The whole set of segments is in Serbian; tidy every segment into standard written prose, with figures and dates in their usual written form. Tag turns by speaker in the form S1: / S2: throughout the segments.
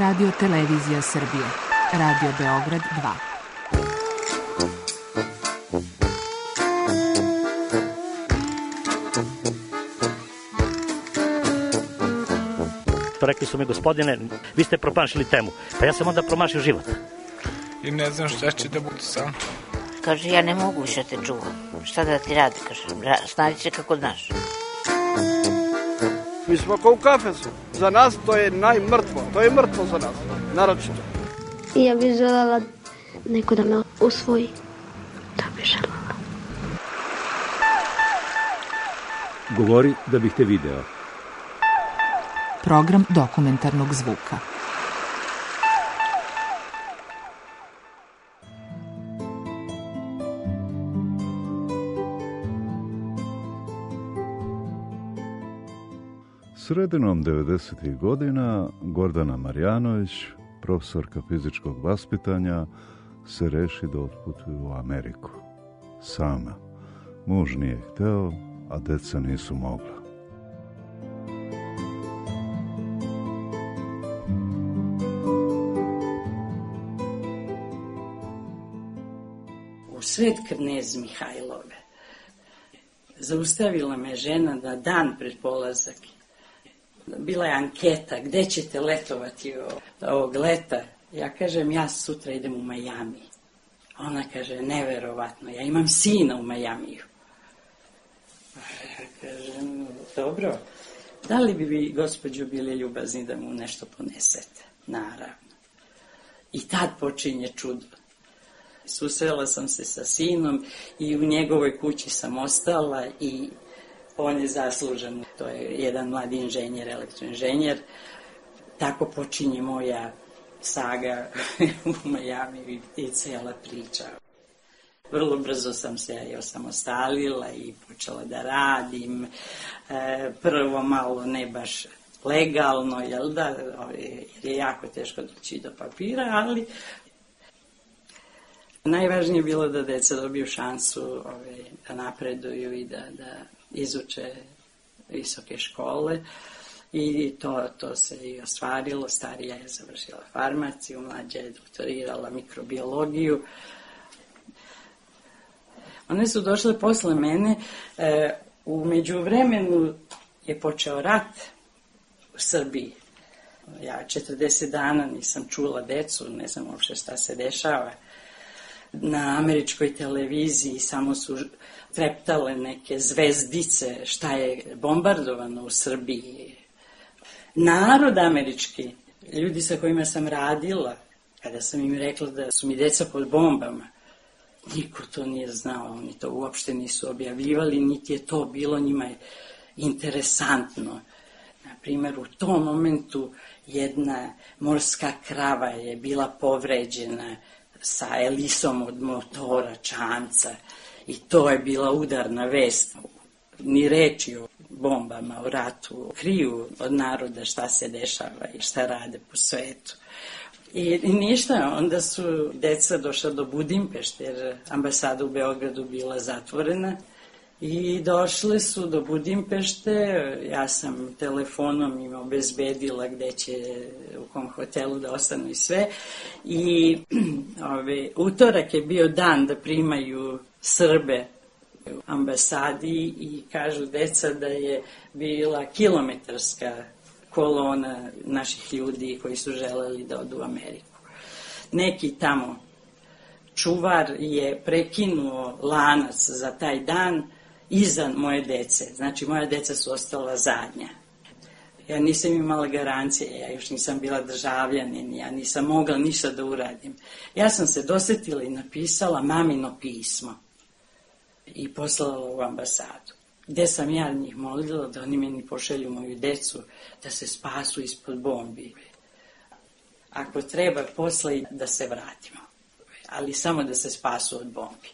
S1: Radio Televizija Srbije. Radio Beograd 2.
S2: Rekli su mi, gospodine, vi ste promašili temu. Pa ja sam onda promašio život.
S3: I ne znam šta će da bude sam.
S4: Kaže, ja ne mogu više te čuvam. Šta da ti radi, kaže, snađi se kako znaš.
S5: Mi smo kao u kafesu. Za nas to je najmrtvo. To je mrtvo za nas, naročito.
S6: Ja bih želela neko da me usvoji. To bih želela.
S7: Govori da bih te video.
S1: Program dokumentarnog zvuka.
S8: Sredinom 90. godina Gordana Marjanović, profesorka fizičkog vaspitanja, se reši da otputuje u Ameriku. Sama. Muž nije hteo, a deca nisu mogla.
S9: U sred Knez Mihajlove zaustavila me žena na dan pred polazak. Bila je anketa, gde ćete letovati ovog leta? Ja kažem, ja sutra idem u Majami. Ona kaže, neverovatno, ja imam sina u Majamiju. Ja kažem, dobro, da li bi vi, gospođo, bili ljubazni da mu nešto ponesete? Naravno. I tad počinje čudo. Susrela sam se sa sinom i u njegovoj kući sam ostala i on je zaslužen. To je jedan mladi inženjer, elektroinženjer. Tako počinje moja saga u Majami i cela priča. Vrlo brzo sam se osamostalila i počela da radim. Prvo malo ne baš legalno, jel da, jer je jako teško doći do papira, ali najvažnije je bilo da deca dobiju šansu da napreduju i da izuče visoke škole i to se i ostvarilo. Starija je završila farmaciju, mlađa je doktorirala mikrobiologiju. One su došle posle mene. U međuvremenu je počeo rat u Srbiji. Ja 40 dana nisam čula decu, ne znam uopšte šta se dešava. Na američkoj televiziji samo su treptale neke zvezdice šta je bombardovano u Srbiji. Narod američki, ljudi sa kojima sam radila, kada sam im rekla da su mi deca pod bombama, niko to nije znao, oni to uopšte nisu objavljivali, niti je to bilo njima interesantno. Na primjer, u tom momentu jedna morska krava je bila povređena sa elisom od motora, čamca, i to je bila udarna vest. Ni reči o bombama, o ratu, kriju od naroda šta se dešava i šta rade po svetu. I ništa, onda su deca došla do Budimpešte, jer ambasada u Beogradu bila zatvorena, i došle su do Budimpešte. Ja sam telefonom im obezbedila gde će, u kom hotelu da ostanu i sve. I utorak je bio dan da primaju Srbe u ambasadi i kažu deca da je bila kilometarska kolona naših ljudi koji su želeli da odu u Ameriku. Neki tamo čuvar je prekinuo lanac za taj dan iza moje dece. Znači, moja deca su ostala zadnja. Ja nisam imala garancije, ja još nisam bila državljanin, ja nisam mogla ništa da uradim. Ja sam se dosetila i napisala mamino pismo i poslala u ambasadu, gde sam ja njih molila da oni meni pošelju moju decu da se spasu ispod bombi. Ako treba, posle da se vratimo, ali samo da se spasu od bombi.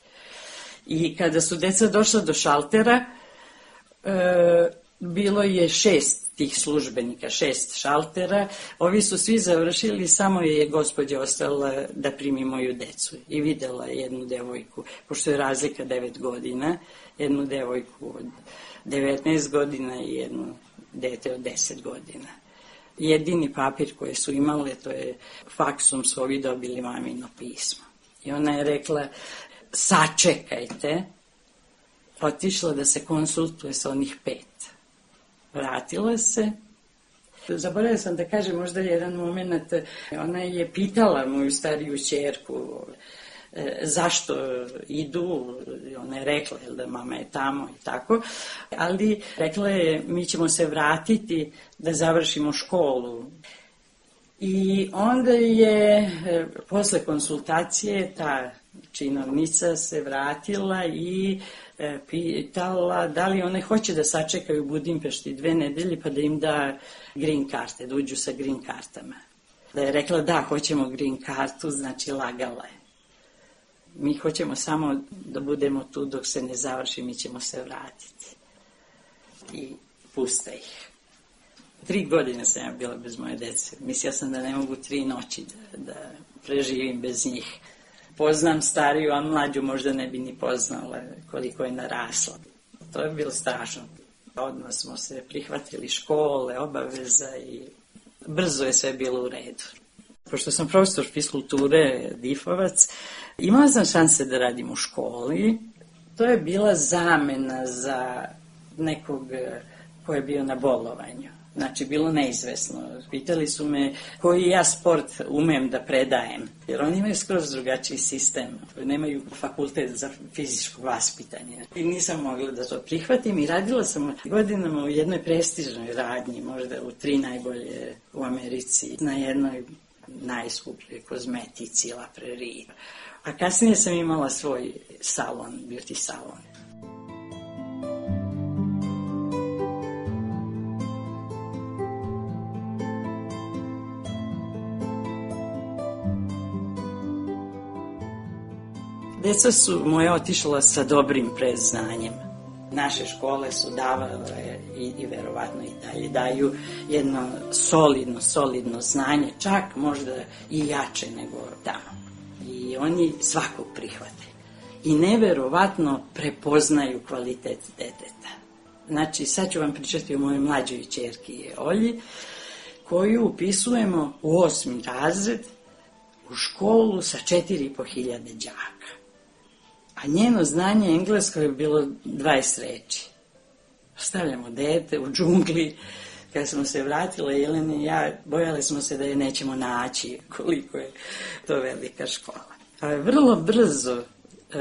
S9: I kada su deca došla do šaltera, bilo je 6 tih službenika, 6 šaltera. Ovi su svi završili, samo je gospođa ostala da primi moju decu. I videla jednu devojku, pošto je razlika 9 godina, jednu devojku od 19 godina i jednu dete od 10 godina. Jedini papir koji su imali, to je faksom su ovi dobili mamino pismo. I ona je rekla, sačekajte, otišla da se konsultuje sa onih 5. Vratila se. Zaboravila sam da kažem možda jedan moment, ona je pitala moju stariju ćerku zašto idu, ona je rekla da mama je tamo i tako, ali rekla je mi ćemo se vratiti da završimo školu. I onda je posle konsultacije ta činovnica se vratila i pitala da li one hoće da sačekaju u Budimpešti 2 nedelje pa da im da green karte, da uđu sa green kartama. Da je rekla da, hoćemo green kartu, znači lagala je. Mi hoćemo samo da budemo tu dok se ne završi, mi ćemo se vratiti. I puste ih. 3 godine sam ja bila bez moje dece. Mislila sam da ne mogu 3 noći da preživim bez njih. Poznam stariju, a mlađu možda ne bi ni poznala koliko je narasla. To je bilo strašno. Odmah smo se prihvatili škole, obaveza i brzo je sve bilo u redu. Pošto sam profesor fiskulture Difovac, imala sam šanse da radim u školi. To je bila zamena za nekog ko je bio na bolovanju. Znači, bilo neizvesno. Pitali su me koji ja sport umem da predajem. Jer oni imaju skroz drugačiji sistem. Nemaju fakultet za fizičko vaspitanje. I nisam mogla da to prihvatim i radila sam godinama u jednoj prestižnoj radnji, možda u 3 najbolje u Americi, na jednoj najskupljoj kozmetici, La Prairie. A kasnije sam imala svoj salon, beauty salon. Deca su moje otišla sa dobrim predznanjem. Naše škole su davale i verovatno i dalje daju jedno solidno znanje, čak možda i jače nego tamo. I oni svakog prihvate. I neverovatno prepoznaju kvalitet deteta. Znači, sad ću vam pričati o mojoj mlađoj ćerki Olji, koju upisujemo u 8. razred u školu sa 4.500 đaka. A njeno znanje englesko je bilo 20 reči. Stavljamo dete u džungli. Kada smo se vratile, Jelena i ja, bojali smo se da je nećemo naći koliko je to velika škola. A vrlo brzo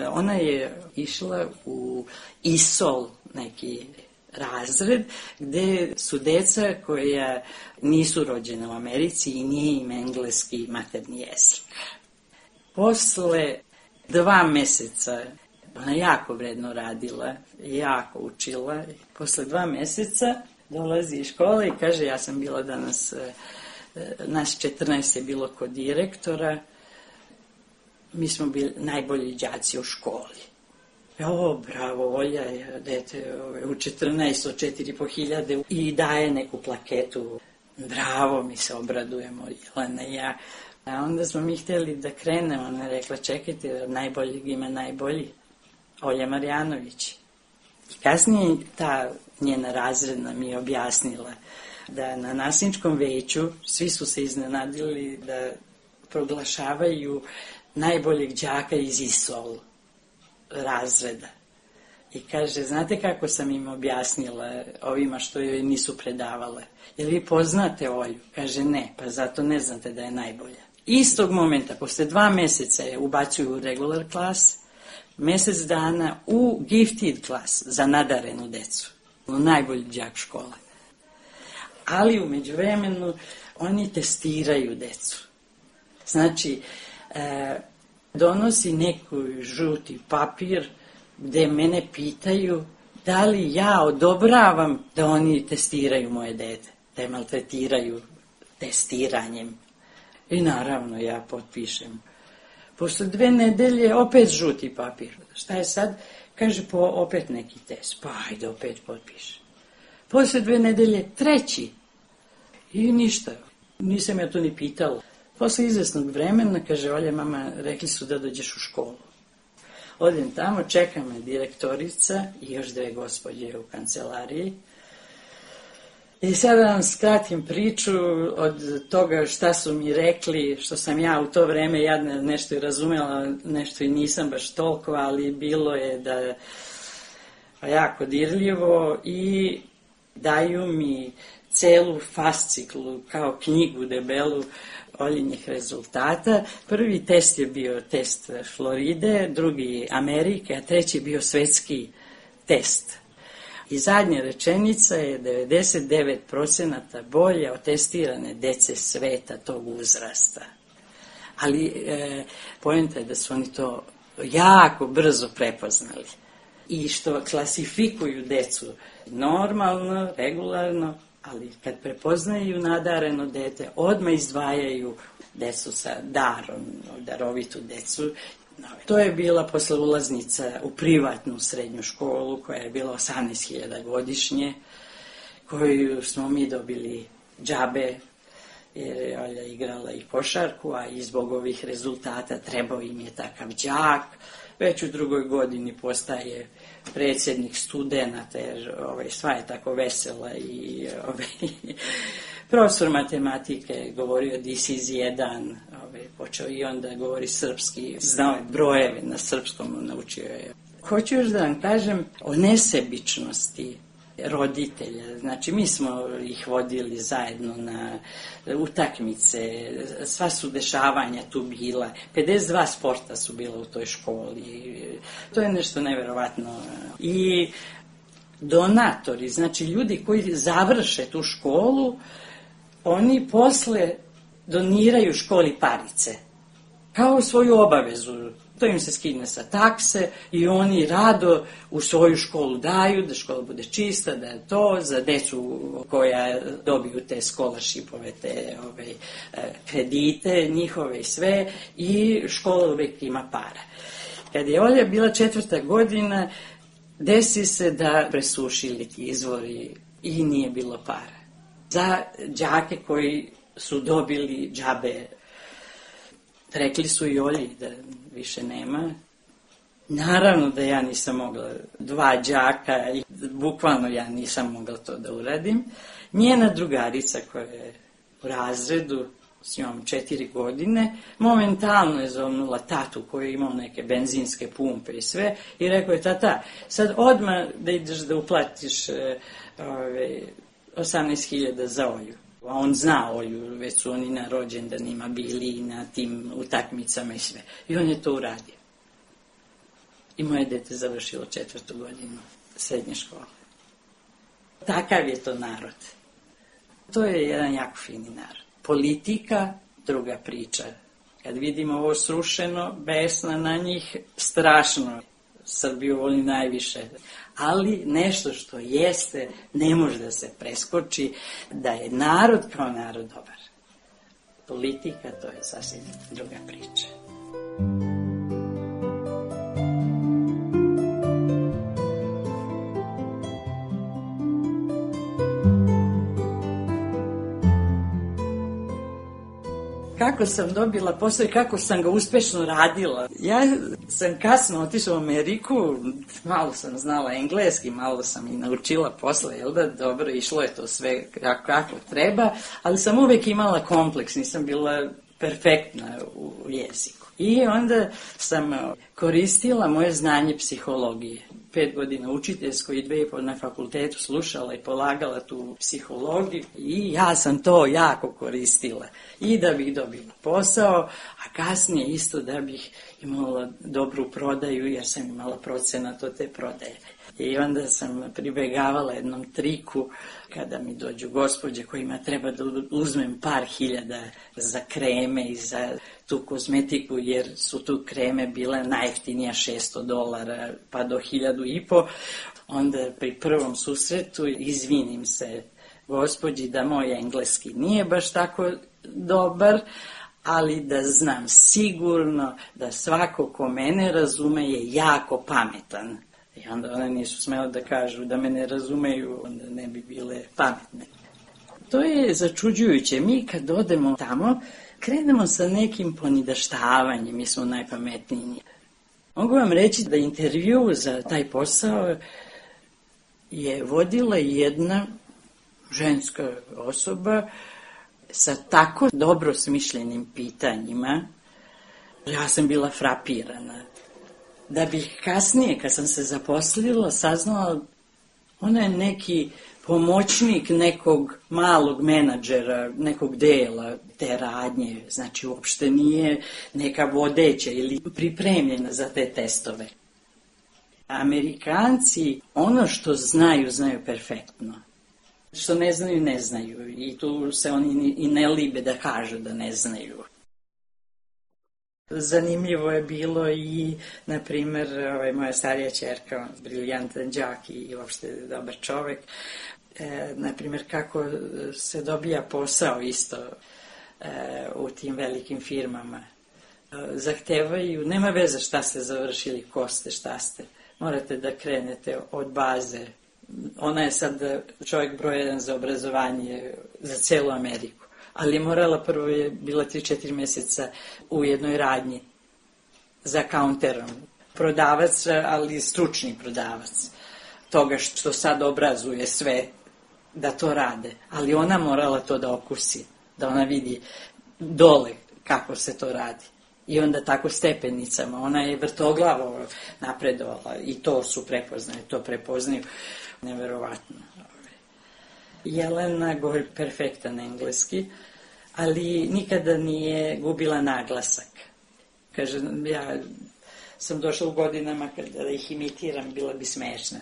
S9: ona je išla u ISOL, neki razred, gde su deca koja nisu rođena u Americi i nije im engleski materni jezik. Posle 2 meseca, ona jako vredno radila, jako učila. Posle 2 meseca dolazi iz škole i kaže, ja sam bila danas, nas 14 je bilo kod direktora, mi smo bili najbolji đaci u školi. O, bravo, Olja je dete u 14 od 4.500 i daje neku plaketu. Bravo, mi se obradujemo, Jelena i ja. A onda smo mi htjeli da krenemo, ona je rekla, čekajte, od najboljeg ima najbolji, Olja Marjanović. I kasnije ta njena razredna mi je objasnila da na nasilničkom veću svi su se iznenadili da proglašavaju najboljeg đaka iz ISOL razreda. I kaže, znate kako sam im objasnila ovima što joj nisu predavale? Jel vi poznate Olju? Kaže, ne, pa zato ne znate da je najbolja. Istog momenta, posle 2 meseca je ubacuju u regular klas, mesec dana u gifted klas za nadarenu decu. Najbolji đak škole. Ali u međuvremenu oni testiraju decu. Znači, donosi neku žuti papir gde mene pitaju da li ja odobravam da oni testiraju moje dete, da je maltretiraju testiranjem. I naravno ja potpišem. Posle 2 nedelje opet žuti papir. Šta je sad? Kaže, opet neki test. Pa ajde, opet potpišem. Posle 2 nedelje 3. I ništa. Nisam ja to ni pitala. Posle izvesnog vremena, kaže, Olja, mama, rekli su da dođeš u školu. Odem tamo, čeka me direktorica i još 2 gospođe u kancelariji. I sada vam skratim priču od toga šta su mi rekli, što sam ja u to vreme jadna nešto i razumela, nešto i nisam baš toliko, ali bilo je da jako dirljivo i daju mi celu fasciklu kao knjigu debelu Oljinih rezultata. Prvi test je bio test Floride, drugi Amerike, a treći je bio svetski test. I zadnja rečenica je 99% bolje od testirane dece sveta tog uzrasta. Ali poenta je da su oni to jako brzo prepoznali. I što klasifikuju decu normalno, regularno, ali kad prepoznaju nadareno dete, odmah izdvajaju decu sa darom, darovitu decu. To je bila posle ulaznica u privatnu srednju školu koja je bila 18.000 godišnje, koju smo mi dobili džabe, jer je Olja igrala i košarku, a i zbog ovih rezultata trebao im je takav đak. Već u drugoj godini postaje predsjednik studenata, jer sva je tako vesela i profesor matematike je govorio this is jedan, počeo i onda govori srpski, znao je brojeve na srpskom, naučio je. Hoću još da vam kažem o nesebičnosti roditelja. Znači, mi smo ih vodili zajedno na utakmice, sva su dešavanja tu bila, 52 sporta su bila u toj školi. To je nešto neverovatno. I donatori, znači ljudi koji završe tu školu, oni posle doniraju školi parice, kao svoju obavezu. To im se skine sa takse i oni rado u svoju školu daju, da škola bude čista, da je to za decu koja dobiju te scholarshipove, te kredite njihove i sve, i škola uvijek ima para. Kad je Olja bila 4. godina, desi se da presušili ti izvori i nije bilo para. Za đake koji su dobili džabe, rekli su i Olji da više nema. Naravno da ja nisam mogla, 2 đaka, i bukvalno ja nisam mogla to da uradim. Njena drugarica koja je u razredu, s njom 4 godine, momentalno je zovnula tatu koji je imao neke benzinske pumpe i sve i rekao je: tata, sad odmah da ideš da uplatiš 18.000 za Olju. A on zna Olju, već su oni na rođendanima bili i na tim utakmicama i sve. I on je to uradio. I moje dete završilo 4. godinu srednje škole. Takav je to narod. To je jedan jako fini narod. Politika, druga priča. Kad vidimo ovo srušeno, besna na njih, strašno. Srbiju voli najviše. Ali nešto što jeste, ne može da se preskoči, da je narod kao narod dobar. Politika, to je sasvim druga priča. Kako sam dobila posao i kako sam ga uspešno radila. Ja sam kasno otišla u Ameriku, malo sam znala engleski, malo sam i naučila posle, jel da, dobro, išlo je to sve kako treba, ali sam uvek imala kompleks, nisam bila perfektna u jeziku. I onda sam koristila moje znanje psihologije. 5 godina učiteljsko i 2,5 na fakultetu slušala i polagala tu psihologiju i ja sam to jako koristila. I da bih dobila posao, a kasnije isto da bih imala dobru prodaju jer sam imala procenat od te prodaje. I onda sam pribegavala jednom triku kada mi dođu gospođe kojima treba da uzmem par hiljada za kreme i za tu kozmetiku, jer su tu kreme bile najjeftinija $600 pa do 1.500. Onda pri prvom susretu izvinim se gospođi da moj engleski nije baš tako dobar, ali da znam sigurno da svako ko mene razume je jako pametan. I onda one nisu smjela da kažu da me ne razumeju, onda ne bi bile pametne. To je začuđujuće. Mi kad odemo tamo, krenemo sa nekim ponidaštavanjem, mi smo najpametniji. Mogu vam reći da intervju za taj posao je vodila jedna ženska osoba sa tako dobro smišljenim pitanjima, ja sam bila frapirana. Da bih kasnije, kad sam se zaposlila, saznala, ona je neki pomoćnik nekog malog menadžera, nekog dela te radnje, znači uopšte nije neka vodeća ili pripremljena za te testove. Amerikanci ono što znaju, znaju perfektno. Što ne znaju, ne znaju. I tu se oni i ne libe da kažu da ne znaju. Zanimljivo je bilo i, na primjer, moja starija ćerka, briljantan đak i uopšte dobar čovek, na primjer, kako se dobija posao isto u tim velikim firmama. Zahtevaju, nema veze šta ste završili, ko ste, šta ste. Morate da krenete od baze. Ona je sad čovjek broj 1 za obrazovanje za celu Ameriku. Ali je morala, prvo je bila 3-4 mjeseca u jednoj radnji za kaunterom. Prodavac, ali stručni prodavac. Toga što sad obrazuje sve da to rade. Ali ona morala to da okusi, da ona vidi dole kako se to radi. I onda tako stepenicama. Ona je vrtoglavo napredovala i to su prepoznali, to prepoznaju. Neverovatno. Jelena govori perfektan engleski, ali nikada nije gubila naglasak. Kaže, ja sam došla u godinama kada ih imitiram, bila bi smešna.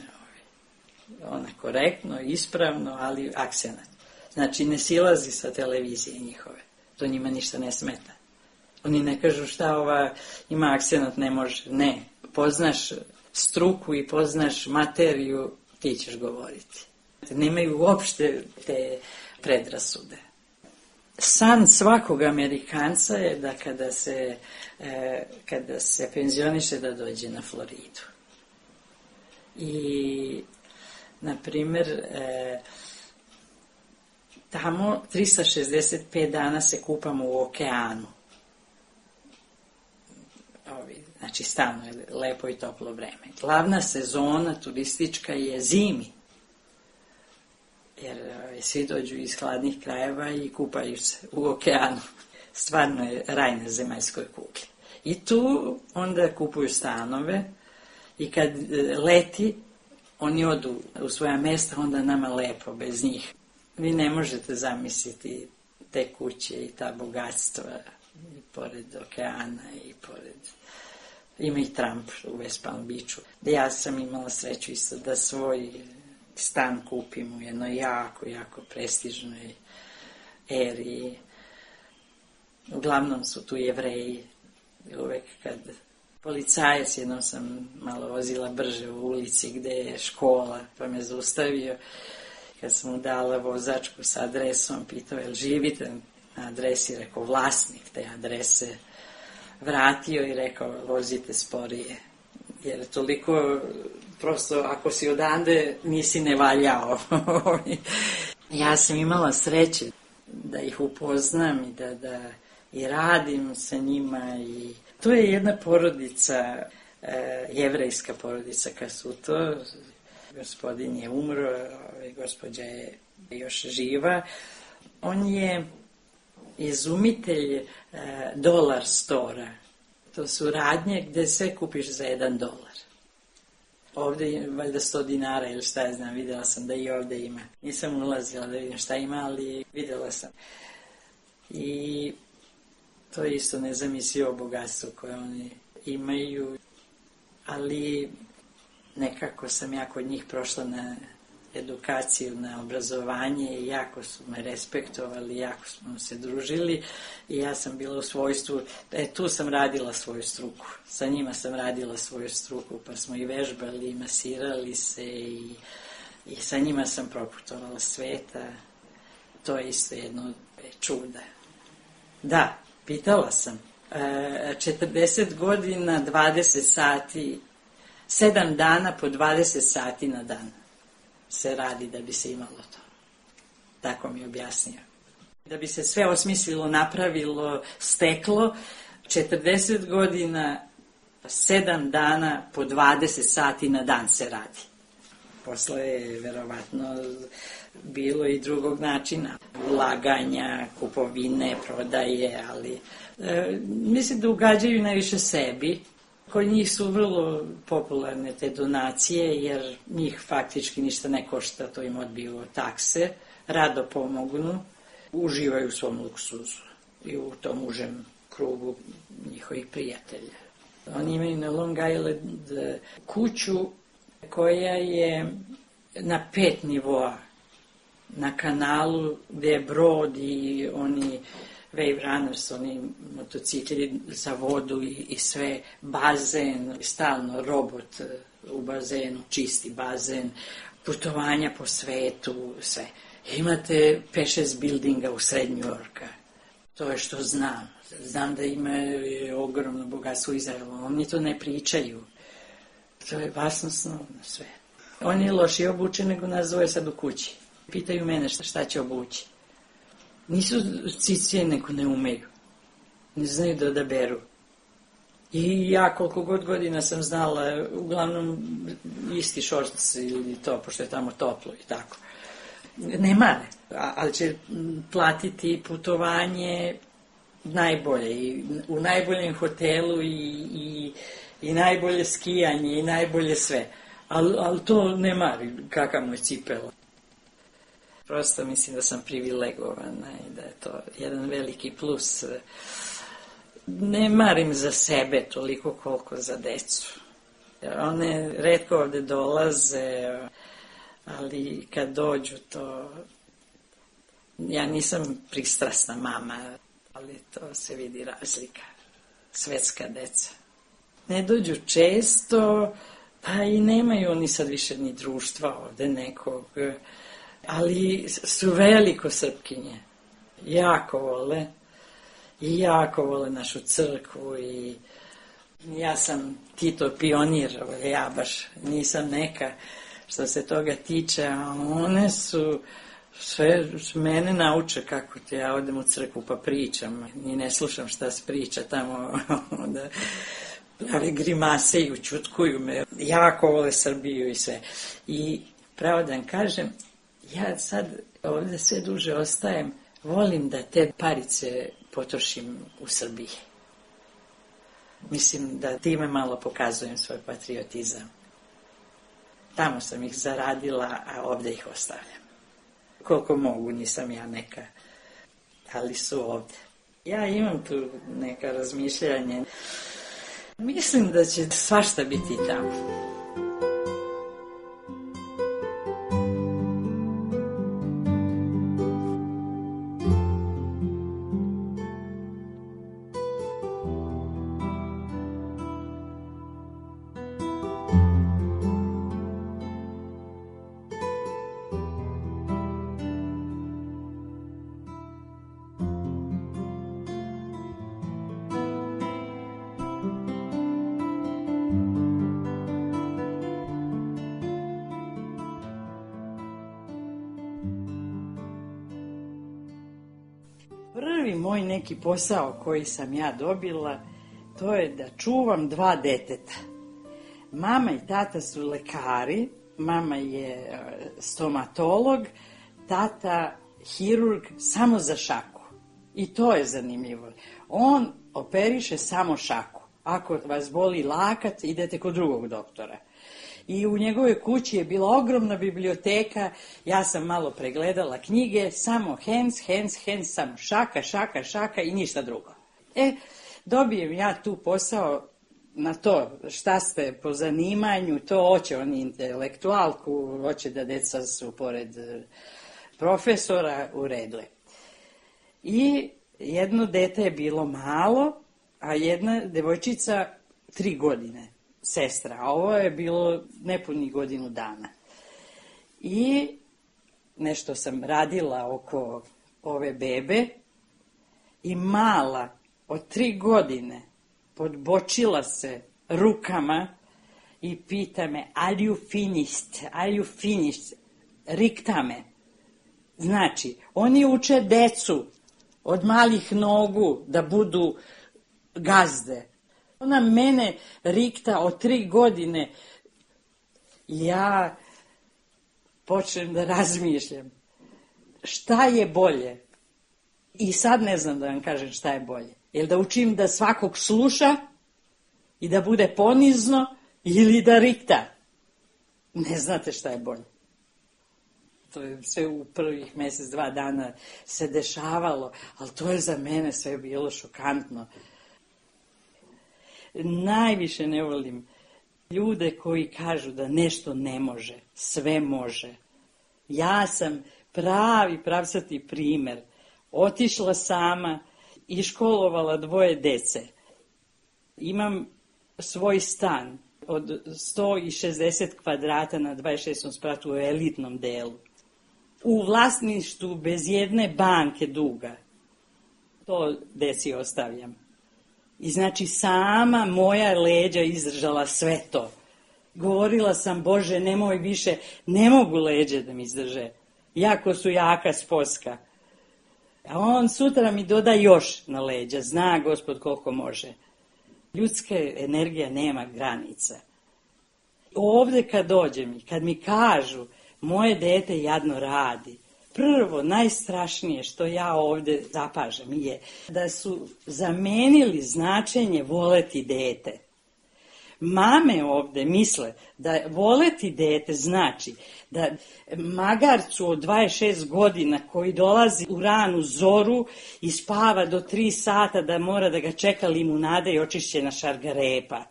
S9: Ona korektno, ispravno, ali akcenat. Znači, ne silazi sa televizije njihove. To njima ništa ne smeta. Oni ne kažu šta ova ima akcenat, ne može. Ne, poznaš struku i poznaš materiju, ti ćeš govoriti. Nemaju uopšte te predrasude. San svakog Amerikanca je da kada se penzioniše da dođe na Floridu. I, na primjer, tamo 365 dana se kupamo u okeanu. Znači, stalno je lepo i toplo vreme. Glavna sezona turistička je zimi. Jer svi dođu iz hladnih krajeva i kupaju se u okeanu. Stvarno je raj na zemaljskoj kugli. I tu onda kupuju stanove i kad leti, oni odu u svoja mesta, onda nama lepo bez njih. Vi ne možete zamisliti te kuće i ta bogatstva i pored okeana i pored... Ima i Trump u West Palm Beachu. Ja sam imala sreću isto da svoj stan kupim u jednoj jako, jako prestižnoj eri. Uglavnom su tu Jevreji. Uvek kad policajac, jednom sam malo vozila brže u ulici gde je škola, pa me zaustavio. Kad sam mu dala vozačku sa adresom, pitao je li živite na adresi, rekao vlasnik te adrese. Vratio i rekao, vozite sporije. Jer toliko, prosto, ako si odande, nisi ne valjao. Ja sam imala sreće da ih upoznam i da i radim sa njima. I to je jedna porodica, jevrejska porodica Kasuto. Gospodin je umro, gospođa je još živa. On je izumitelj dolar stora. To su radnje gde sve kupiš za $1. Ovde je valjda 100 dinara ili šta ja znam, videla sam da i ovde ima. Nisam ulazila da vidim šta ima, ali videla sam. I to je isto nezamislivo bogatstvo koje oni imaju, ali nekako sam ja kod njih prošla na edukaciju, na obrazovanje i jako su me respektovali, jako smo se družili i ja sam bila u svojstvu, tu sam radila svoju struku, sa njima sam radila svoju struku, pa smo i vežbali i masirali se i sa njima sam proputovala sveta. To je isto jedno od čuda. Da, pitala sam. 40 godina, 20 sati, 7 dana po 20 sati na dan se radi da bi se imalo to. Tako mi je objasnio. Da bi se sve osmislilo, napravilo, steklo, 40 godina, 7 dana po 20 sati na dan se radi. Posle je verovatno bilo i drugog načina, ulaganja, kupovine, prodaje, ali mislim da ugađaju najviše sebi. Kod njih su vrlo popularne te donacije, jer njih faktički ništa ne košta, to im odbiju takse, rado pomognu, uživaju u svom luksuzu i u tom užem krugu njihovih prijatelja. Oni imaju na Long Island kuću koja je na 5 nivoa, na kanalu gde je brod i oni wave runners, oni motocikli za vodu i sve, bazen, stalno robot u bazenu, čisti bazen, putovanja po svetu, sve. Imate 5-6 buildinga u sred New Yorka. To je što znam. Znam da ima ogromno bogatstvo u Izraelu. Oni to ne pričaju. To je basnosno sve. On je lošije obučen nego nas zove sad u kući. Pitaju mene šta će obući. Nisu cicije, nego ne umeju. Ne znaju da odaberu. I ja koliko god godina sam znala, uglavnom isti šorc ili to, pošto je tamo toplo i tako. Ne mare, ali će platiti putovanje najbolje i u najboljem hotelu i najbolje skijanje i najbolje sve. Ali to ne mari kakav mu je cipela. Prosto mislim da sam privilegovana i da je to jedan veliki plus. Ne marim za sebe toliko koliko za decu. One retko ovde dolaze, ali kad dođu to... Ja nisam pristrasna mama, ali to se vidi razlika. Svetska deca. Ne dođu često, pa i nemaju oni sad više ni društva ovde nekog, ali su veliko Srpkinje. Jako vole. I jako vole našu crkvu i ja sam Tito pionir, ja baš nisam neka što se toga tiče, a one su sve mene nauče kako ti ja odem u crkvu pa pričam, ni ne slušam šta se priča tamo, da prave grimase i učutkuju me, jako vole Srbiju i sve. I pravo da vam kažem, ja sad ovde sve duže ostajem, volim da te parice potrošim u Srbiji. Mislim da time malo pokazujem svoj patriotizam. Tamo sam ih zaradila, a ovde ih ostavljam. Koliko mogu, nisam ja neka, ali su ovde. Ja imam tu neka razmišljanje. Mislim da će svašta biti tamo. Prvi moj neki posao koji sam ja dobila, to je da čuvam 2 deteta. Mama i tata su lekari, mama je stomatolog, tata hirurg samo za šaku. I to je zanimljivo. On operiše samo šaku. Ako vas boli lakat, idete kod drugog doktora. I u njegovoj kući je bila ogromna biblioteka, ja sam malo pregledala knjige, samo hands, samo šaka i ništa drugo. Dobijem ja tu posao na to šta ste po zanimanju, to hoće oni intelektualku, hoće da deca su pored profesora, u redu je. I jedno dete je bilo malo, a jedna devojčica 3 godine. Sestra, a ovo je bilo nepunih godinu dana. I nešto sam radila oko ove bebe i mala od 3 godine podbočila se rukama i pita me, are you finished? Rikta me. Znači, oni uče decu od malih nogu da budu gazde. Ona mene rikta od 3 godine. Ja počnem da razmišljam šta je bolje. I sad ne znam da vam kažem šta je bolje. Jel da učim da svakog sluša i da bude ponizno ili da rikta? Ne znate šta je bolje. To je sve u prvih mjesec, 2 dana se dešavalo, ali to je za mene sve bilo šokantno. Najviše ne volim ljude koji kažu da nešto ne može, sve može. Ja sam pravi pravcati primjer. Otišla sama i školovala 2 dece. Imam svoj stan od 160 kvadrata na 26. spratu u elitnom delu. U vlasništvu bez jedne banke duga. To deci ostavljam. I znači sama moja leđa izdržala sve to. Govorila sam, Bože, nemoj više, ne mogu leđe da mi izdrže. Jako su jaka sposka. A on sutra mi doda još na leđa. Zna Gospod koliko može. Ljudska energija nema granica. Ovdje kad dođem i kad mi kažu moje dete jadno radi, prvo, najstrašnije što ja ovdje zapažam je da su zamenili značenje voleti dete. Mame ovdje misle da voleti dete znači da magarcu od 26 godina koji dolazi u ranu zoru i spava do 3 sata da mora da ga čeka limunada i očišćena šargarepa.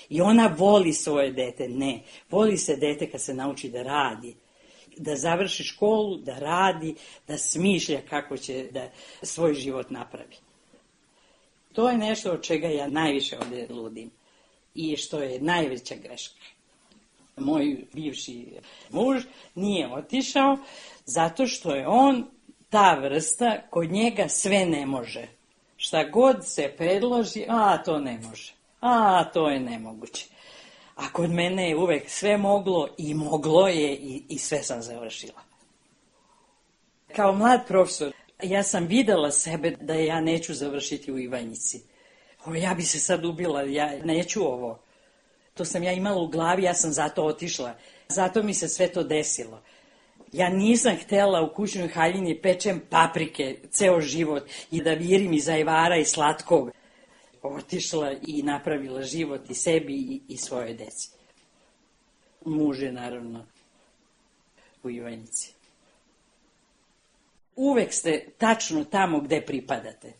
S9: I ona voli svoje dete. Ne, voli se dete kad se nauči da radi. Da završi školu, da radi, da smišlja kako će da svoj život napravi. To je nešto od čega ja najviše ovdje ludim. I što je najveća greška. Moj bivši muž nije otišao zato što je on ta vrsta, kod njega sve ne može. Šta god se predloži, to ne može. To je nemoguće. A kod mene je uvek sve moglo i moglo je i sve sam završila. Kao mlad profesor, ja sam videla sebe da ja neću završiti u Ivanjici. Ja bi se sad ubila, ja neću ovo. To sam ja imala u glavi, ja sam zato otišla. Zato mi se sve to desilo. Ja nisam htjela u kućnoj haljini pečem paprike ceo život i da virim iz ajvara i slatkog. Otišla i napravila život i sebi i svoje deci. Muž je naravno u Ivanjici. Uvek ste tačno tamo gde pripadate.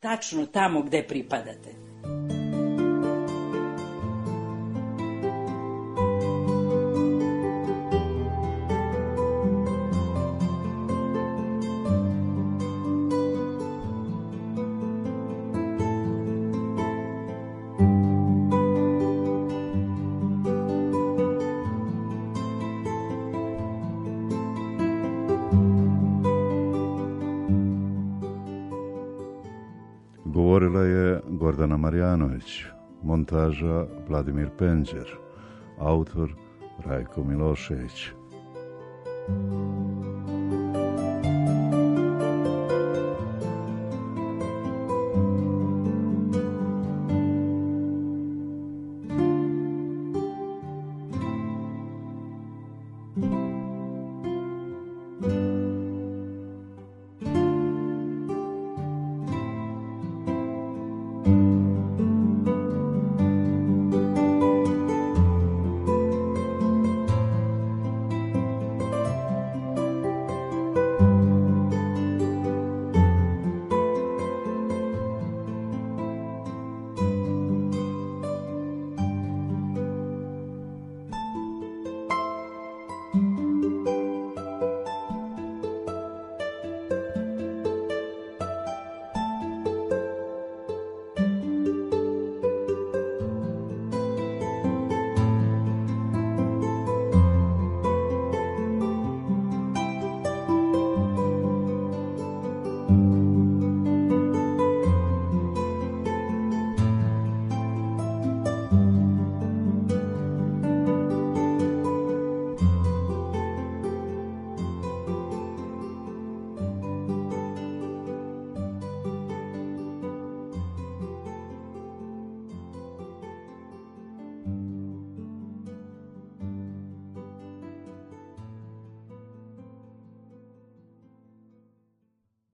S9: Tačno tamo gde pripadate.
S8: Govorila je Gordana Marjanović, montaža Vladimir Penđer, autor Rajko Milošević.